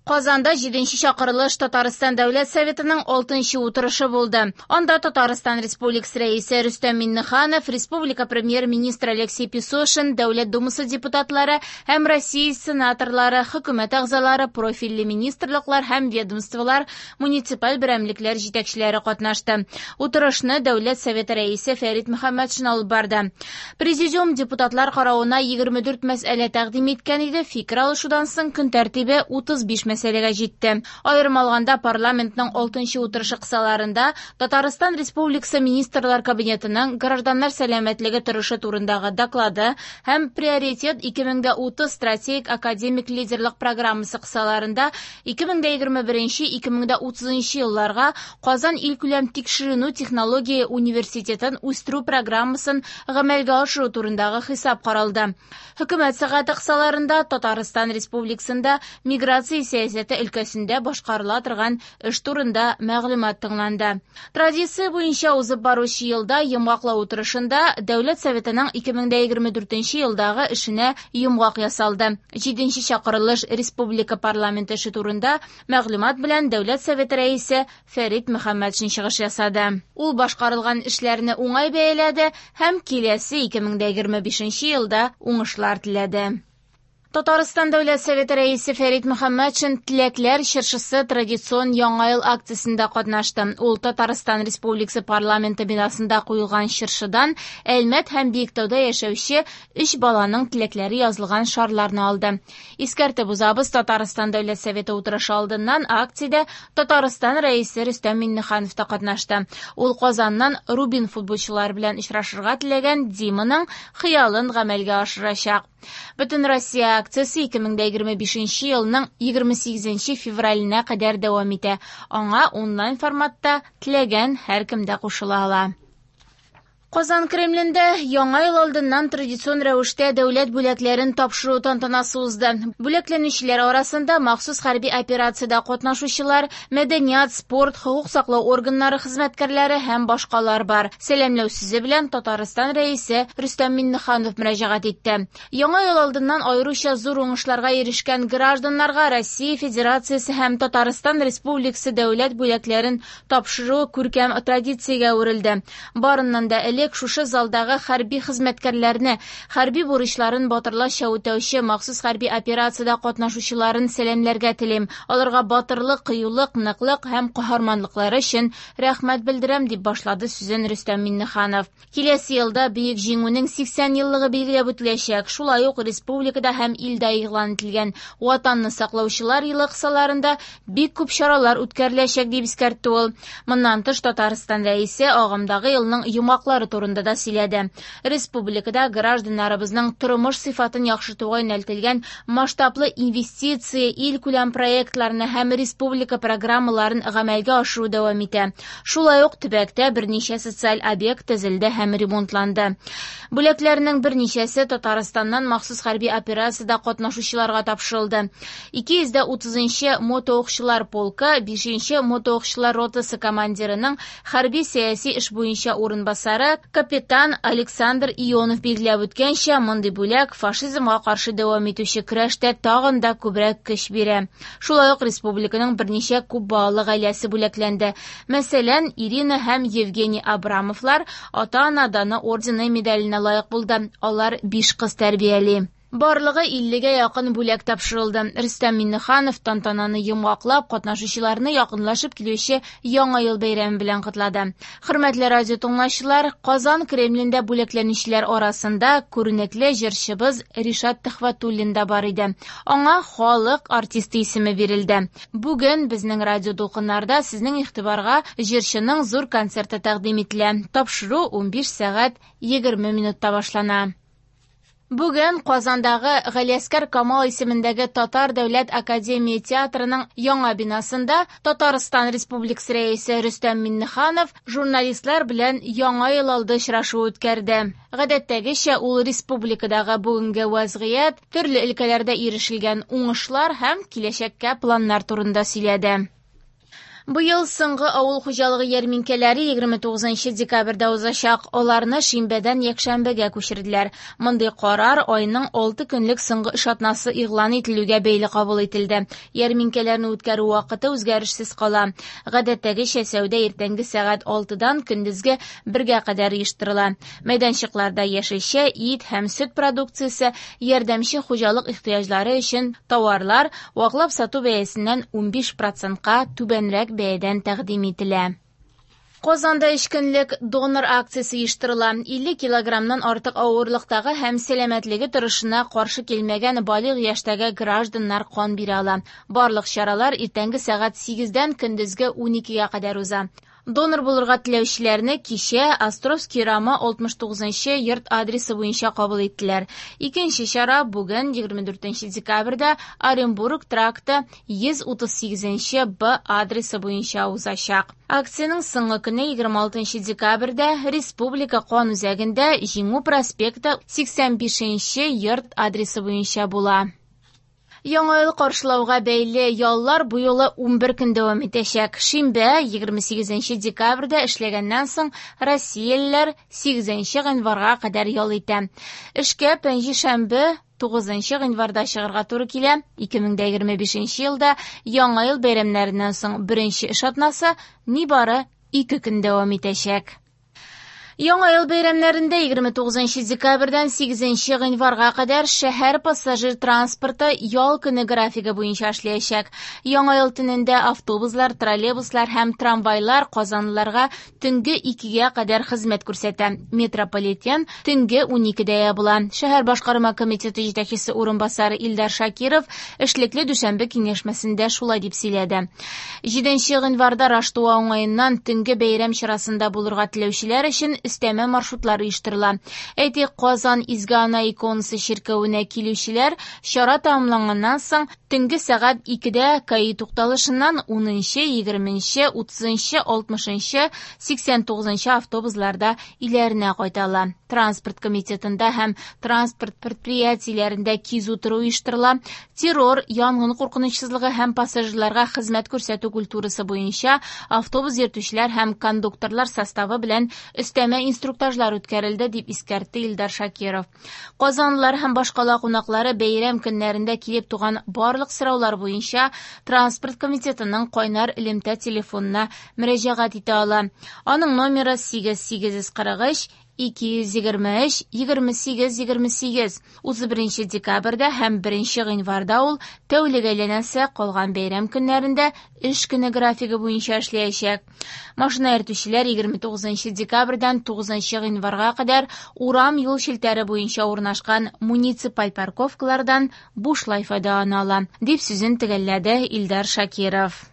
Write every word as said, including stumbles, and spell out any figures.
Казанда җиденче чакырылыш Татарстан Дәүләт Советының алтынчы утырышы булды. Анда Татарстан Республикасы Рәисе Рөстәм Миңнеханов, Республика Премьер-министры Алексей Песошин, Дәүләт Думасы депутатлары һәм Россия сенаторлары, хөкүмәт әгъзалары, профильле министрлыклар һәм ведомстволар, муниципаль берәмлекләр җитәкчеләре катнашты. Утырышны Дәүләт Советы Рәисе Фәрит Мөхәммәтшин алып барды. Президиум депутатлар каравына егерме дүрт мәсьәлә тәкъдим иткән иде. Фикер алышудан соң көн тәртибе утыз биш мәсьәләгә җитте. Аерым алганда, парламентның алтынчы утырышы кысаларында Татарстан Республикасы Министрлар Кабинетының гражданнар сәламәтлеге торышы турындагы доклады һәм Приоритет ике мең дә утыз стратегик академик лидерлык программасы кысаларында ике мең дә егерме беренче ике мең дә утызынчы елларга Казан илкүләм тикшеренү технология университетын үстерү программасын гамәлгә ашыру турындагы хисап каралды. Хөкүмәт сәгате кысаларында Татарстан Республикасында миграция сәясәте өлкәсендә башкарыла торган эш турында мәгълүмат тыңланды. Традиция буенча узып баручы елда йомгаклау утырышында Дәүләт Советының ике мең дә егерме дүртенче елдагы эшенә йомгак ясалды. Җиденче чакырылыш Республика парламенты эше турында мәгълүмат белән Дәүләт Советы рәисе Фәрит Мөхәммәтшин чыгыш ясады. Ул башкарылган эшләрне уңай бәяләде һәм киләсе ике мең дә егерме бишенче елда уңышлар теләде. Татарстан Дәүләт Советы рәисе Фәрит Мөхәммәтшин Теләкләр чыршысы традицион Яңа ел акциясендә катнашты. Ул Татарстан Республикасы парламенты бинасында куелган чыршыдан Әлмәт һәм Биектауда яшәүче өч баланың теләкләре язылган шарларны алды. Искәртеп узабыз, Татарстан Дәүләт Советы утырышы алдыннан акциядә Татарстан рәисе Рөстәм Миңнеханов та катнашты. Ул Казаннан Рубин футболчылары белән очрашырга теләгән Диманың хыялын гамәлгә ашырачак. Бөтен Россия акциясе ике мең дә егерме бишенче елның егерме сигезенче февраленә кадәр дәвам итә. Аңа онлайн форматта теләгән һәркем дә кушыла ала. Казан Кремлендә Яңа ел алдыннан традицион рәвештә дәүләт бүләкләрен тапшыру тантанасы узды. Бүләкләнүчеләр арасында махсус хәрби операциядә катнашучылар, мәдәният, спорт, хокук саклау органнары хезмәткәрләре һәм башкалар бар. Сәламләү сүзе белән Татарстан рәисе Рөстәм Миңнеханов мөрәҗәгать итте. Яңа ел алдыннан аеруча зур уңышларга ирешкән гражданнарга Россия Федерациясе һәм Татарстан Республикасы дәүләт бүләкләрен тапшыру күркәм традициягә әверелде. Барыннан да элек шушы залдагы хәрби хезмәткәрләрне, хәрби бурычларын батырларча үтәүче махсус хәрби операциядә катнашучыларын сәламләргә телим. Аларга батырлык, кыюлык, ныклык һәм каһарманлыклары өчен рәхмәт белдерәм, дип башлады сүзен Рөстәм Миңнеханов. Киләсе елда Бөек Җиңүнең сиксән еллыгы билгеләп үтеләчәк. Шулай ук республикада һәм илдә игълан ителгән Ватанны саклаучылар елы кысаларында бик күп чаралар үткәреләчәк, дип искәртте ул. Моннан тыш Татарстан рәисе агымдагы елның йомгаклары турында да сөйләде. Республикада гражданнарыбызның тормыш сыйфатын яхшыртуга юнәлтелгән масштаблы инвестиция илкүләм проектларны һәм республика программаларын гамәлгә ашыру дәвам итә. Шулай ук төбәктә берничә социаль объект төзелде һәм ремонтланды. Бүләкләрнең берничәсе Татарстаннан махсус хәрби операциядә катнашучыларга тапшырылды. Ике йөз дә утызынчы мотоукчылар полкы бишенче мотоукчылар ротасы командирының хәрби сәяси эш буенча урынбасары капитан Александр Ионов билгеләп үткәнчә, мондый бүләк фашизмга каршы дәвам итүче көрәштә тагын да күбрәк көч бирә. Шулай ук республиканың берничә күп балалы гаиләсе бүләкләнде. Мәсәлән, Ирина һәм Евгений Абрамовлар ата-ана даны ордены медаленә лаек булды. Алар биш кыз тәрбияли. Барлыгы иллегә якын бүләк тапшырылды. Рөстәм Миңнеханов тантананы йомгаклап, катнашучыларны якынлашып килүче Яңа ел бәйрәме белән котлады. Хөрмәтле радио тыңлаучылар, Казан Кремлендә бүләкләнүчеләр арасында күренекле җырчыбыз Ришат Төхвәтуллин да бар иде. Аңа халык артисты исеме бирелде. Бүген безнең радио дулкыннарда сезнең игътибарга җырчының зур концерты тәкъдим ителә. Тапшыру унбиш сәгать егерме минутта башлана. Бүген Казандагы Галиәсгар Камал исемендәге Татар дәүләт академия театрының яңа бинасында Татарстан Республикасы рәисе Рөстәм Миңнеханов журналистлар белән Яңа ел алды очрашу үткәрде. Гадәттәгечә ул республикадагы бүгенге вазгыять, төрле өлкәләрдә ирешелгән уңышлар һәм киләчәккә планнар турында сөйләде. Быел соңгы авыл хуҗалыгы ярминкәләре егерме тугызынчы декабрьдә узачак. Аларны шимбәдән якшәмбегә күчерделәр. Мондый карар айның алты көнлек соңгы эш атнасы игълан ителүгә бәйле кабул ителде. Ярминкәләрне үткәрү вакыты үзгәрешсез кала. Гадәттәгечә сәүдә иртәнге сәгать алтыдан көндезге бергә кадәр оештырыла. Мәйданчыкларда яшелчә, ит һәм сөт продукциясе, ярдәмче хуҗалык ихтыяҗлары өчен товарлар ваклап сату бәясеннән унбиш процентка түбәнрәк бәядән тәкъдим ителә. Казанда өч көнлек донор акциясе оештырыла. Илле килограммнан артык авырлыктагы һәм сәламәтлеге торышына каршы килмәгән балигъ яшьтәге гражданнар кан бирә ала. Барлык чаралар иртәнге сәгать сигездән көндезге уникегә кадәр уза. Донор булырга теләүчеләрне кичә Островский урамы алтмыш тугызынчы йорт адресы буенча кабул иттеләр. Икенче чара бүген егерме дүртенче декабрьдә Оренбург тракты йөз утыз сигезенче Б адресы буенча узачак. Акциянең соңгы көне егерме алтынчы декабрьдә Республика кан үзәгендә Җиңү проспекты сиксән бишенче йорт адресы буенча була. Яңа ел каршылауга бәйле яллар бу юлы унбер көн дәвам итәчәк. Шимбә, егерме сигезенче декабрьдә эшләгәннән соң россиялеләр сигезенче гыйнварга кадәр ял итә. Эшкә пәнҗешәмбе тугызынчы гыйнварда чыгарга туры килә. Ике мең дә егерме бишенче елда Яңа ел бәйрәмнәреннән соң беренче эш атнасы нибары ике көн дәвам итәчәк. Яңа ел бәйрәмнәрендә егерме тугызынчы декабрьдән сигезенче гыйнварга кадәр шәһәр пассажир транспорты ял көне графигы буенча эшләячәк. Яңа ел төнендә автобуслар, троллейбуслар һәм трамвайлар казанлыларга төнге икегә кадәр хезмәт күрсәтә. Метрополитен төнге уникедә ябыла. Шәһәр башкарма комитеты җитәкчесе урынбасары Илдар Шакиров эшлекле дүшәмбе киңәшмәсендә шулай дип сөйләде. Җиденче гыйнварда Раштуа уңаеннан төнге бәйрәм чарасында булырга теләүчеләр өчен өстәмә маршрутлар оештырыла. Әйтик, Казан Изге Ана иконасы чиркәвенә килүчеләр чара тәмамланганнан соң төнге сәгать икедә КАИ тукталышыннан унынчы, егерменче, утызынчы, алтмышынчы, сиксән тугызынчы автобусларда өйләренә кайта ала. Транспорт комитетында һәм транспорт предприятиеләрендә кизү тору оештырыла. Террор, янгын куркынычсызлыгы һәм пассажирларга хезмәт күрсәтү культурасы буенча автобус йөртүчеләр һәм кондукторлар составы белән өстәмә инструктажлар үткәрелде, дип искәртте Илдар Шакиров. Казанлылар һәм башкала кунаклары бәйрәм көннәрендә килеп туган барлык сораулар буенча транспорт комитетының кайнар элемтә телефонына мөрәҗәгать итә ала. Аның номеры сигез сигез йөз кырык өч ике йөз егерме өч егерме сигез егерме сигез. Утыз беренче декабрьдә һәм беренче гыйнварда ул тәүлек әйләнәсе калган бәйрәм көннәрендә эш көне графигы буенча эшләячәк. Машина йөртүчеләр егерме тугызынчы декабрьдән тугызынчы гыйнварга кадәр урам юл челтәре буенча урнашкан муниципаль парковкалардан бушлай файдалана ала, дип сүзен төгәлләде Илдар Шакиров.